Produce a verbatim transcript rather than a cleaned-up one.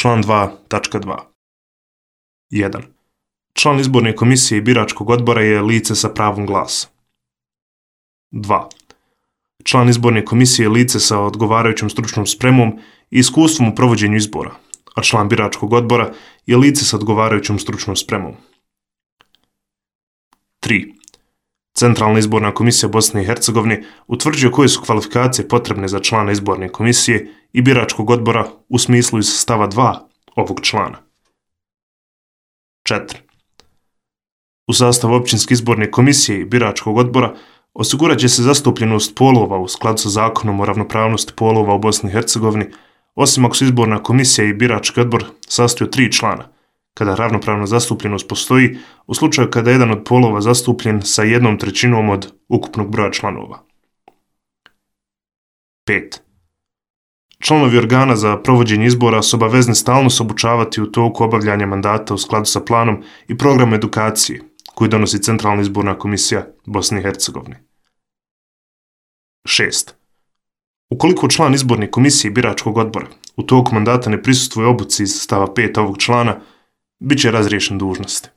Član dva tačka dva. jedan. Član izborne komisije i biračkog odbora je lice sa pravom glasa. dva. Član izborne komisije je lice sa odgovarajućom stručnom spremom i iskustvom u provođenju izbora, a član biračkog odbora je lice sa odgovarajućom stručnom spremom. tri. Centralna izborna komisija Bosne i Hercegovine utvrđuje koje su kvalifikacije potrebne za člana izborne komisije i biračkog odbora u smislu iz stava dva ovog člana. četiri. U sastavu općinske izborne komisije i biračkog odbora osigurat će se zastupljenost polova u skladu sa zakonom o ravnopravnosti polova u Bosni i Hercegovini, osim ako su izborna komisija i birački odbor sastoji od tri člana, kada ravnopravna zastupljenost postoji u slučaju kada je jedan od polova zastupljen sa jednom trećinom od ukupnog broja članova. pet. Članovi organa za provođenje izbora su obavezni stalno se obučavati u toku obavljanja mandata u skladu sa planom i programom edukacije koji donosi Centralna izborna komisija Bosne i Hercegovine. šest. Ukoliko član izborne komisije i biračkog odbora u toku mandata ne prisustvuje obuci iz stava pet ovog člana, bit će razriješen dužnosti.